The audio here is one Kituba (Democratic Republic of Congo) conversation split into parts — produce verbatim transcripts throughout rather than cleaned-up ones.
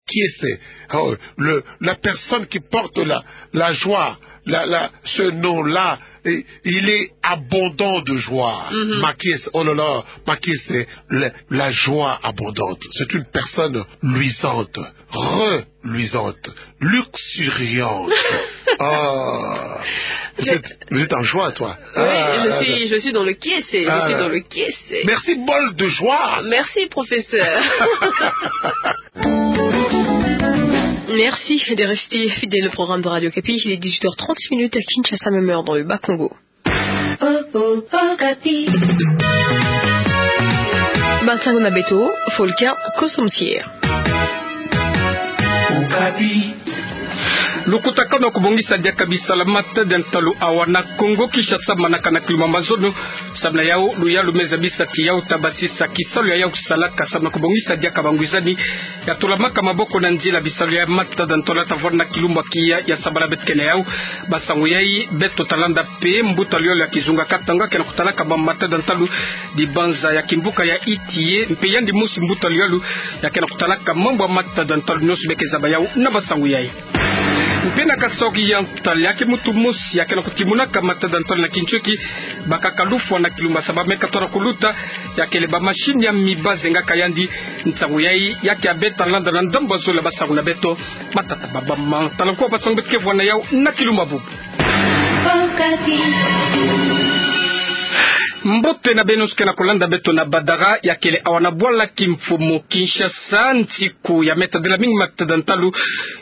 Makiese. Oh, le, la personne qui porte la, la joie, la, la, ce nom-là, et il est abondant de joie. Mhm. Makiese, oh là là, Makiese, c'est le, la joie abondante. C'est une personne luisante, reluisante, luxuriante. Ah, vous êtes, vous êtes en joie, toi. Oui, ah, je suis, je suis dans le kiese, je suis dans le kiese. Merci, bol de joie. Merci, professeur. Merci de rester fidèle au programme de Radio Okapi. Il est dix-huit heures trente minutes à Kinshasa, même heure dans le Bas-Congo. Oh, oh, Okapi. Bansango na beto, Volker Kosomosier. Okapi. Lukutakanu ya kubongisa diaka bisalu ya matadi ya ntalu awa na Kongo Kinshasa, manaka na kilumbu ya mazono. Samu na yau, luyalu me zabisa ti yau ta basisa kisalu ya yau kusalaka samu na kubongisa diaka bangwizani ya tulamaka maboko na nzila bisalu ya matadi ya ntalu ta vwanda na kilumbu ya kiya ya sabala beto kena yau. Bansango yai beto ta landa mpe mbuta luyolo ya kizunga Katanga ke na kutalaka mambu matadi ya ntalu, dibanza ya kimvuka ya Itiye, mpe yandi mosi mbuta luyolo ya ke na kutalaka mambu ya matadi ya ntalu, nyonso beke zaba yau na bansango yai. Mpe na kasaoki ya ntali, ya ke muntu mosi ya ke na kutimunaka matadi ya ntalu na kintioki, bakaka lufwa na kilumbu ya saba me katola kuluta, ya kele ba machine ya miba zengaka yandi. Nsangu yai ya ke ya beta landa na ndambu ya zole ya basangu na beto. Matata baba ma tala nko basangu beto ke vwa na yau na kilumbu ya bubu. Mbote na beno nyonso ke na kulanda beto na Badara, ya kele awa na bwala kimfumu Kinshasa. Nsiku ya me tadila mingi matadi ya ntalu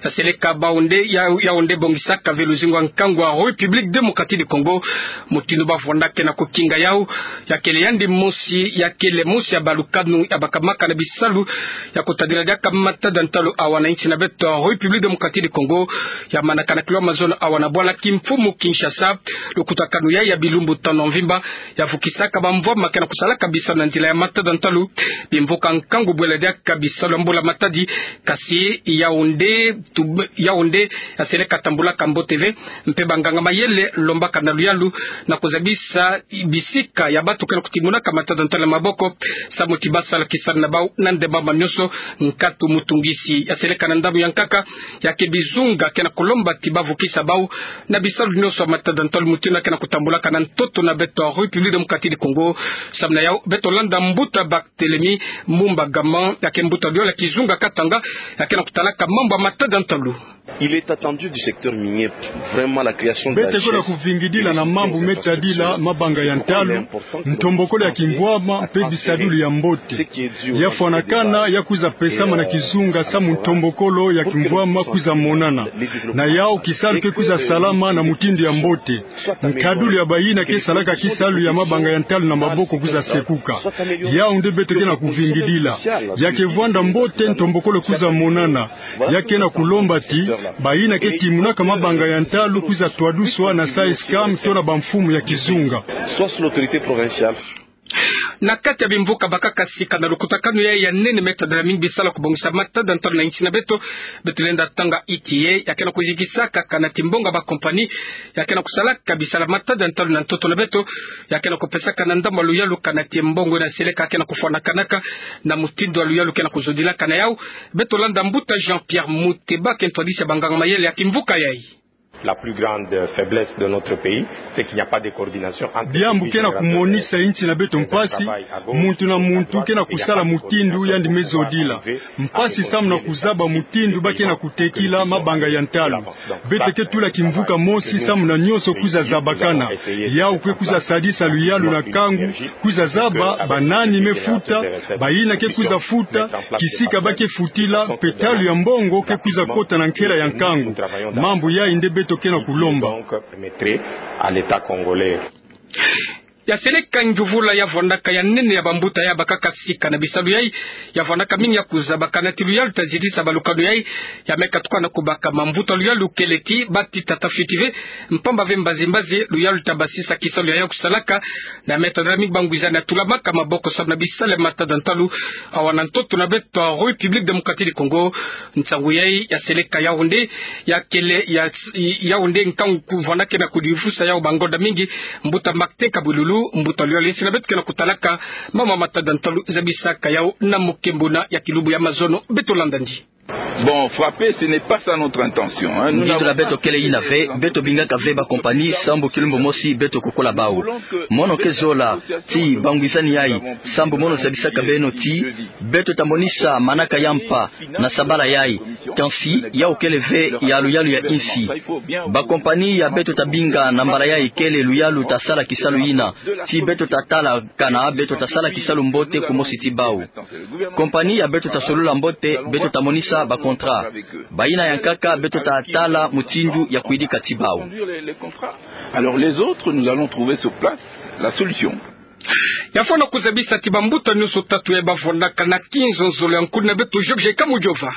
ya seleka Baoundé, ya, Yaoundé bongisaka ve luzingu ya nkangu ya République Démocratique du Congo. Mutindu bavwanda ke na kukinga yau, ya kele yandi mosi, ya kele mosi ya balukanu ya bakamaka na bisalu ya kutadila diaka matadi ya ntalu awa na insi na beto République Démocratique du Congo. Ya manaka na kilomètre mazono awa na bwala kimfumu Kinshasa. Lukutakanu yai ya bilumbu tanu mvimba ya vukisaka bamvwama ke na kusalaka bisalu na nzila ya matadi ya ntalu. Bimvuka nkangu bwela diaka bisalu ya mbula matadi, kasi Yaoundé, tu-, Yaoundé ya seleka tambulaka mbote ve, mpe banganga mayele lombaka na luyalu na kuzabisa bisika ya bantu ke na kutimunaka matadi ya ntalu na maboko, samu ti basala kisalu na bau na ndemba ma nyonso. Nkatu mutungisi ya seleka na ndambu ya nkaka, ya ke bizunga ke na kulomba ti bavukisa bau na bisalu nyonso ya matadi ya ntalu mutindu ya ke na kutambulaka na ntoto na beto République Démocratique du Congo. Samu na yau beto landa mbuta Barthélemy Mumba Gama, ya ke mbuta luyolo ya kizunga Katanga, ya ke na kutalaka mambu ya matadi ya ntalu. Il est attendu du secteur minier, vraiment, la création de la richesse. Beto ke na kuvingidila na mambu me tadila mabanga ya ntalu, ntombokolo ya kimvwama, mpe bisadulu ya mbote. Ya fwanakana ya kwiza pesama na kizunga samu ntombokolo ya kimvwama kwiza monana. Na yau kisalu ke kwiza salama na mutindu ya mbote. Nkadulu ya bayina ke salaka kisalu ya mabanga ya ntalu na maboko kwiza sekuka. Yau nde beto ke na kuvingidila. Ya ke vwanda mbote ntombokolo kwiza monana. Ya ke na kulomba ti bayina ke timunaka mabanga ya ntalu kwiza twaduswa na SAESCAM to na bamfumu ya kizunga. Soit sur l'autorité provinciale. Na kati ya bimvuka bakaka sika na lukutakanu yai ya nene me tadila mingi bisalu ya kubongisa matadi ya ntalu na insi na beto, beto lenda tanga Itiye, ya ke na kuzikisaka kanati mbongo ya bakompani ya ke na kusalaka bisalu ya matadi ya ntalu na ntoto na beto, ya ke na kupesaka na ndambu ya luyalu kanati mbongo na seleka ke na kufwanakanaka na mutindu ya luyalu ke na kuzodilaka na yau. Beto landa mbuta Jean-Pierre Muteba, ke ntwadisi ya banganga mayele ya kimvuka yai. La plus grande faiblesse de notre pays, c'est qu'il n'y a pas de coordination entre les services. Diambu ke na kumonisa insi na beto mpasi, muntu na muntu ke na kusala mutindu yandi me zodila. Mpasi samu na kuzaba mutindu ba ke na kutekila mabanga ya ntalu. Beto ke tula kimvuka mosi samu na nyonso kwiza zabakana. Yau ke kwiza sadisa luyalu na nkangu, kwiza zaba banani me futa, bayina ke kwiza futa, kisika ba ke futila, mpe ntalu ya mbongo ke kwiza kota na nkela ya nkangu. Mambu yai nde beto ke na kulomba. Ya seleka njuvula ya vwandaka ya nene ya bambuta ya bakaka sika na bisalu yai, ya vwandaka mingi ya kuzaba kanati luyalu ta zitisa balukanu yai, ya me katuka na kubaka mambuta luyalu kele ti bati tata fiti ve, mpamba ve mbazi mbazi, luyalu ta basisa kisalu ya yau kusalaka, na me tadila mingi bangwizani ya tulamaka maboko samu na bisalu ya matadi ya ntalu, awa na ntoto na beto République Démocratique du Congo. Nsangu yai ya seleka Yaoundé, ya kele ya, Yaoundé nkangu kuvwanda ke na kudifusa yau bangonda mingi, mbuta Martin Kabwilulu, mbuta luyolo ya insi na beto ke na kutalaka mambu ya matadi ya ntalu zabisaka yau na mukembuna ya kilumbu ya mazono, beto landa ndi. Bon, frapper, ce n'est pas ça notre intention, hein. Ngindu na beto kele ina ve, beto bingaka ve ba compagnie sambu kilumbu mosi beto kukula bau. Mono ke zola ti bangwizani yai, sambu mono zabisaka beno ti beto tamonisa manaka ya mpa na sabala yai, kansi yau kele ve ya luyalu ya insi. Ba compagnie ya beto tabinga na mbala yai kele luyalu tasala kisalu ina, ti beto tatala kana beto tasala kisalu mbote kumosi ti bau. Compagnie ya beto tasolula mbote, beto tamonisa ba contrat. Bayina ya nkaka beto tatala mutindu ya kwidika ti bau. Alors les autres, nous allons trouver sur place la solution. Ya fwana kuzabisa ti bambuta nyonso tatu ya bavwanaka na kinzonzolo ya nkuna beto George Kamujova.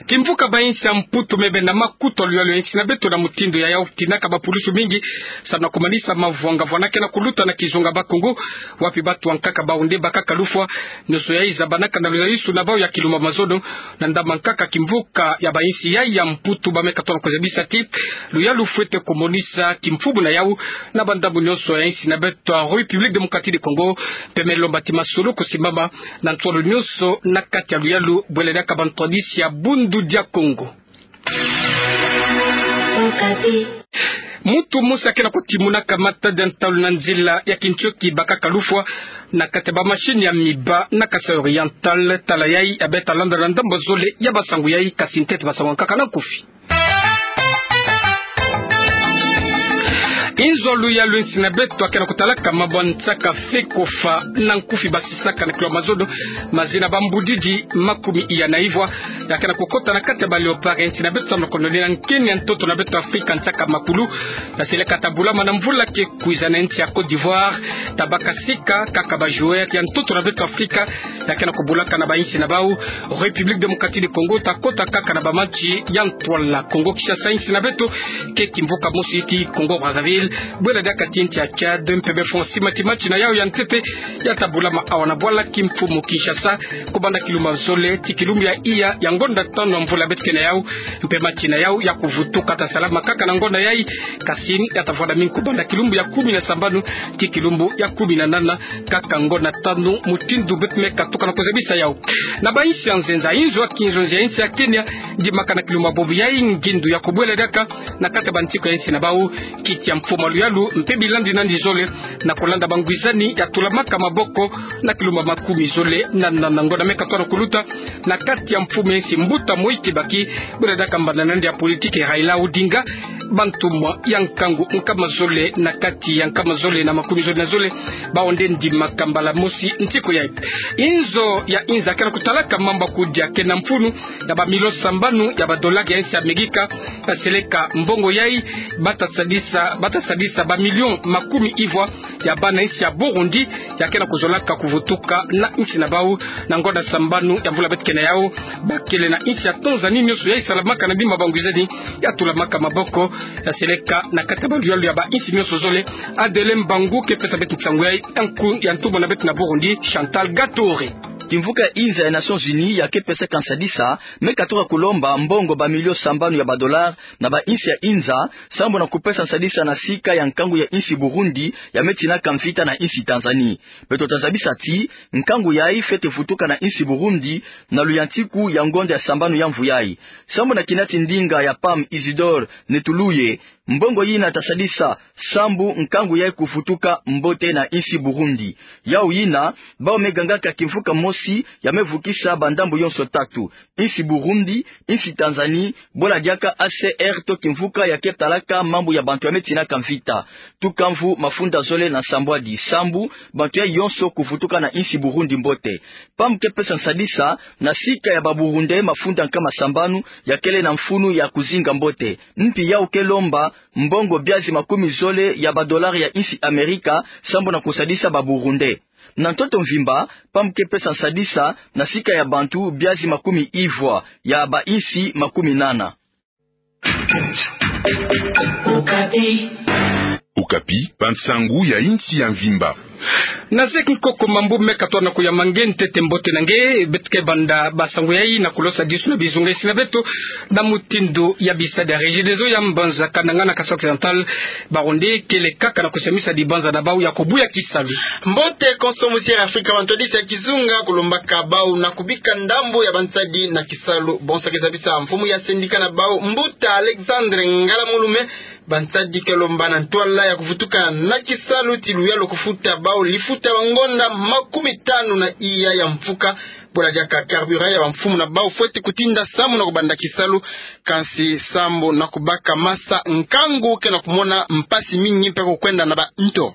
Kimvuka ba insi ya Mputu mebenda makuta luyalu ya insi na beto na mutindu yayau tinaka ba pulusu mingi, samu na kumanisa mavwanga vwanakena kuluta na kizunga Bakongo, wapi batu ya nkaka bau nde bakaka lufwa, nyonso yai zabanaka na luzaisu na bau ya kilumbu mazono, na ndambu ya nkaka kimvuka ya ba insi yai ya Mputu bameka tona kuzabisa ti luyalu fwete kumonisa kimfumu na yau na bandambu nyonso ya insi na beto ya République Démocratique du Congo, mpe melomba ti masolo kusimbama na ntwala nyonso na kati ya luyalu bwela diaka ba ntwadisi ya Bundu dia Kongo. Muntu mosi akena kutimunaka matadi ya ntalu na nzila ya kintioki bakaka lufwa na kati ya ba machine ya miba na Kasaï Oriental, tala yai ya beta landa na ndambu zole ya basangu yai, kasi ntete basangu ya nkaka na nkufi. Inzo luyalu ya insi na beto akena kutalaka mambu ya nsaka fekofa na nkufi basisaka na kilumbu mazono, mazina bambudidi makumi iya na ivwa, ya kena kukota na kati ya ba Léopard ya insi na beto samu na kononina nkeni ya ntoto na beto Afrika nsaka makulu, ya seleka tabulama na mvula ke kwiza na insi ya Côte d'Ivoire, tabaka sika kaka ba joueur ya ntoto na beto Afrika, ya kena kubulaka na ba insi na bau, République Démocratique du Congo takota kaka na ba match ya ntwala. Congo Kinshasa, insi na beto ke kimvuka mosi ti Congo Brazzaville, bwela diaka ti insi ya Tchad, mpe befwa sima ti match na yau ya ntete ya tabulama awa na bwala kimfumu Kinshasa, kubanda kilumbu zole ti kilumbu ya iya ya ngonda tanu ya mvula beto ke na yau, mpe match na yau ya kuvutuka tasalama kaka na ngonda yai, kasi ya tavwandami kubanda kilumbu ya kumi na sambanu ti kilumbu ya kumi na nana, kaka ngonda tanu, mutindu beto meka tuka na kuzabisa yau. Na ba insi ya nzenza, inzo ya kinzonzi ya insi ya Kenya ndimaka na kilumbu bobo yai ngindu ya kubwela diaka na kati ya bantiku ya insi na bau, kiti ya mfumu ya luyalu mpe bilandi nandi zole, na kulanda bangwizani ya tulamaka maboko na kilumbu makumi zole na nana, ngonda meka tona kuluta, na kati ya mfumu ya insi mbuta Mwai Kibaki, bwela diaka mbanda nandi ya politiki Raila Odinga, bantumwa ya nkangu nkama zole na kati ya nkama zole na makumi zole na zole, bau nde ndimaka mbala mosi ntiku yai. Inzo ya inza kena kutalaka mambu ya kudia kena mfunu ya ba million sambanu ya ba dollar ya insi ya Amerika, ya seleka mbongo yai bata sadisa, bata sadisa ba million makumi ivwa ya bana insi ya Burundi, ya kena kuzolaka kuvutuka na insi na bau, na ngonda sambanu ya mvula beto ke na yau. Bakele na insi ya Tanzanie, nyonso yai salamaka na bima bangwizani ya tulamaka maboko, ya seleka na kati ya ba luyalu ya ba insi nyonso zole. Adele Mbangu ke pesa beto nsangu yai, ya nku, ya ntumwa na beto na Burundi, Chantal Gatore. Kimvuka ya inza ya Nations Unies ya ke pesaka nsadisa, meka tuka kulomba mbongo ba million sambanu ya ba dollar na ba insi ya inza, sambu na kupesa nsadisa na sika ya nkangu ya insi Burundi ya me tinaka mvita na insi Tanzanie. Beto tazabisa ti nkangu yai fwete vutuka na insi Burundi na luyantiku ya ngonda ya sambanu ya mvu yai. Sambu na kina ti ndinga ya PAM Isidore Netuluye, mbongo yina tasadisa sambu nkangu yai kuvutuka mbote na insi Burundi. Yau yina, bau me gangaka kimvuka mosi ya me vukisa ba ndambu yonso tatu: insi Burundi, insi Tanzanie, bwela diaka A C R to kimvuka ya ke talaka mambu ya bantu ya me tinaka mvita. Tuka mvu mafunda zole na nsambwadi, sambu bantu yai yonso kuvutuka na insi Burundi mbote. PAM ke pesa nsadisa na sika ya ba Burundais mafunda nkama sambanu ya kele na mfunu ya kuzinga mbote. Mpi yau ke lomba mbongo biazi makumi zole ya ba dollar ya insi Amerika, sambu na kusadisa ba Burundais. Na ntoto mvimba, PAM ke pesa nsadisa na sika ya bantu biazi makumi ivwa ya ba insi makumi nana. Okapi, bansangu ya insi ya mvimba. Na zeki nkoko mambu meka twa na kuyamba nge ntete mbote na nge, beto ke banda bansangu yayi na kulosa disu na bizunga isi na beto, na mutindu ya bisadi ya Regideso ya mbanza Kananga na Kasai Occidental, bawu nde kele kaka na kusamisa dibanza na bawu ya kubuya kisalu. Mbote konso musiere Afrika, bantwadisi ya kizunga kulombaka bawu na kubika ndambu ya bansadi na kisalu. Bonso ke zabisa mfumu ya sendika na bawu, mbuta Alexandre Ngalamulume, bansadi ke lomba na ntwala ya kuvutuka na kisalu ti luyalu kufuta bawu lifuta ba ngonda makumi tanu na iya ya mfuka. Bula diaka carburant ya bamfumu na bawu fweti kutinda samu na kubanda kisalu, kansi samu na kubaka masa nkangu ke na kumona mpasi mingi mpe kukwenda na banto.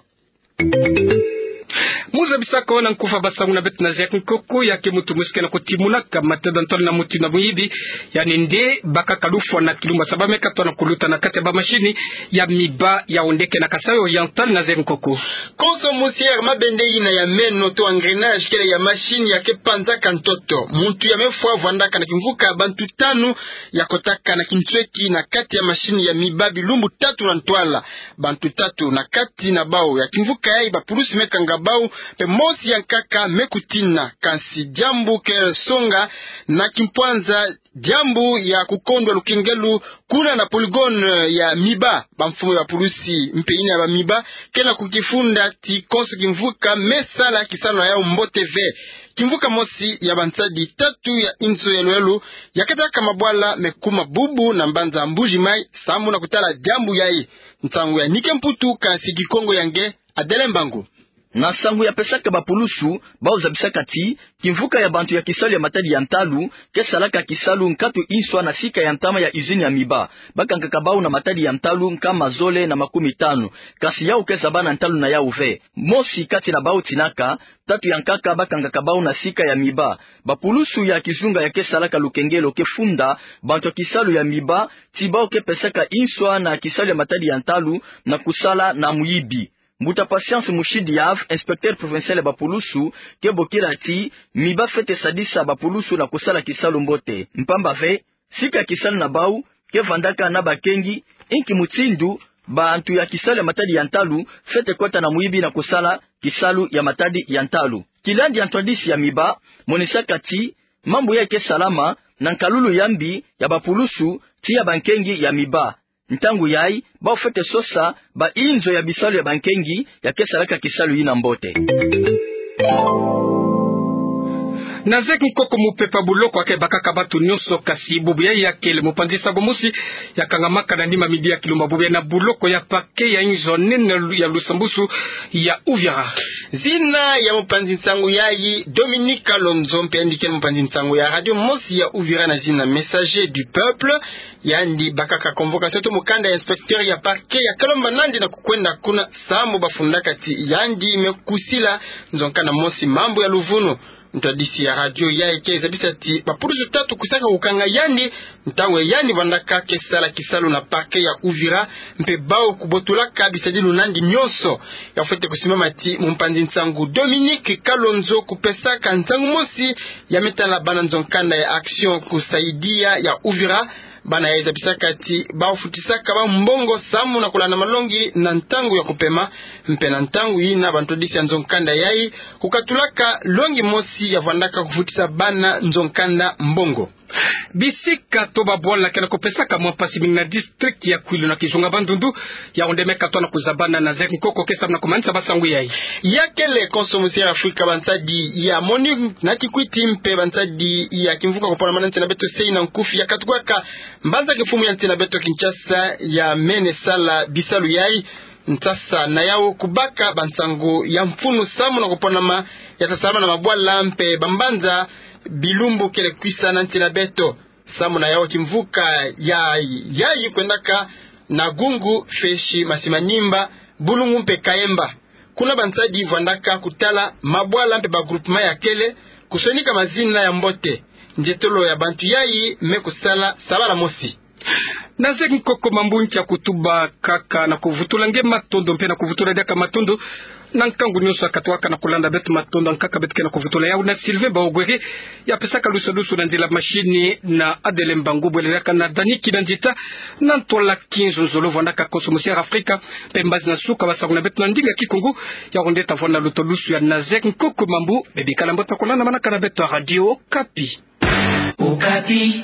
Mu zabisaka na nkufa bansangu na beto na zeki nkoko, ya ke mutu mosi ke na kutimunaka matanda ntwala na mutindu ya muyibi, yandi nde bakaka lufwa na kilumbu ya saba meka twa na kuluta na kati ya bamasini ya miba, yawu nde ke na Kasai Oriental na zeki nkoko. Konso musiere, mabende yina ya meno to engrenage kele ya masini ya ke panzaka ntoto. Muntu ya mefwa vwandaka na kimvuka bantu tanu ya kotaka na kinsweki na kati ya masini ya miba bilumbu tatu na ntwala. Bantu tatu na kati na bawu ya kimvuka yayi bapulusi me kanga bawu, mpe mosi ya nkaka me kutina. Kansi diambu ke songa na kimpwanza diambu ya kukondwa lukengelo kuna na polygone ya miba. Bamfumu ya bapulusi mpe yina ya bamiba ke na kukifunda ti konso kimvuka me sala kisalu na yawu mbote ve. Kimvuka mosi ya bansadi tatu ya inzo ya luyalu ya kataka mabwala me kuma bubu na mbanza Mbuji Mayi samu na kutala diambu yayi. Nsangu ya Nike Mputu, kansi Kikongo ya nge Adele Mbangu. Na nsangu ya pesaka bapulusu, bawu zabisaka ti kimvuka ya bantu ya kisalu ya matadi ya ntalu ke salaka kisalu nkatu inswa na sika ya ntama ya usine ya miba. Bakangaka bawu na matadi ya ntalu nkama zole na makumi tanu. Kansi yawu ke zaba na ntalu na yawu ve. Mosi kati na bawu tinaka, tatu ya nkaka bakangaka bawu na sika ya miba. Bapulusu ya kizunga ya ke salaka lukengelo ke funda bantu ya kisalu ya miba ti bawu ke pesaka inswa na kisalu ya matadi ya ntalu na kusala na muyibi. Mbuta Patience Mushidi Yave, inspecteur provincial ya bapulusu, ke bokila ti miba fwete sadisa bapulusu na kusala kisalu mbote. Mpamba ve, sika ya kisalu na bawu ke vandaka na bakengi, inki mutindu bantu ya kisalu ya matadi ya ntalu fwete kota na muyibi na kusala kisalu ya matadi ya ntalu. Kilandi ya ntwadisi ya miba monisaka ti mambu yayi ke salama na nkalulu ya mbi ya bapulusu ti ya bankengi ya miba. Ntangu yayi, bawu fwete sosa bainzo ya bisalu ya bankengi ya ke salaka kisalu yina mbote. Na zeki nkoko, mupepa buloko ya ke bakaka bantu nyonso, kansi bubu yayi ya kele mupanzi nsangu mosi ya kangamaka na nima midi ya kilumbu ya bubu yayi na buloko ya parquet ya inzo nene ya lusambusu ya Uvira. Zina ya mupanzi nsangu yayi Dominique Kalonzo, mpe yandi kele mupanzi nsangu ya radio mosi ya Uvira na zina Messager du Peuple. Yandi bakaka convocation to mukanda ya inspecteur ya parquet ya ke lomba nandi na kukwenda kuna samu bafundaka ti yandi me kusila nzo nkanda mosi mambu ya luvunu. Ntwadisi ya radio yayi ke zabisa ti bapulusu tatu kwisaka kukanga yandi ntangu yandi vandaka ke sala kisalu na parquet ya Uvira, mpe bawu kubotulaka bisadilu nandi nyonso. Ya fwete kusimbama ti mupanzi nsangu Dominique Kalonzo kupesaka nsangu mosi ya me tala bana nzo nkanda ya Action Kusaidia ya Uvira. Bana yayi zabisaka ti bawu futisaka bawu mbongo samu na kulanda malongi na ntangu ya kupema, mpe na ntangu yina bantwadisi ya nzo nkanda yayi kukatulaka longi mosi ya vandaka kufutisa bana nzo nkanda mbongo. Bisika to babwala ke na kupesaka mwa mpasi mingi na district ya Kwilu na kizunga Bandundu, yawu nde me katwa na kuzabana na zeki nkoko ke samu na kumanisa bansangu yayi. Ya kele konso musiere Afrika, bansadi ya MONUC na Kikwit mpe bansadi ya kimvuka kuponama na nsi na beto C I na nkufi ya katukwaka mbanza kimfumu ya nsi na beto Kinshasa ya mene sala bisalu yayi. Nsasa na yawu kubaka bansangu ya mfunu samu na kuponama ya ta salama na mabwala mpe bambanza bilumbu kele kwisa na nsi na beto. Samu na yawu kimvuka ya, yayi kwendaka na Gungu, Feshi, Masimanimba, Bulungu mpe Kayemba. Kuna bansadi vandaka kutala mabwala mpe ba groupement ya kele, kusonika mazina ya mbote. Nzietolo ya bantu yayi me kusala sabala mosi. Na zeki nkoko, mambu nkia kutuba kaka na kuvutula nge matondo mpe na kuvutula diaka matondo Na nkangu nyonso ya katuka na kulanda beto, matondo. Ankaka beto ke na kuvutula yawu na Sylvain Baogwere, ya pesaka lusalusu na nzila mashini, na Adeline Bangu Bwele, ya kana Dani Kinanzita na ntwala kinzonzolo. Vwandaka konso mosi ya Afrika, mpe mbazi na suka basakuna beto na ndinga Kikongo. Yawu nde ta vwanda lutolusu ya Nazaire Nkoko Mambu. Bebikala mbote, kulanda manaka na beto ya Radio Okapi. Okapi.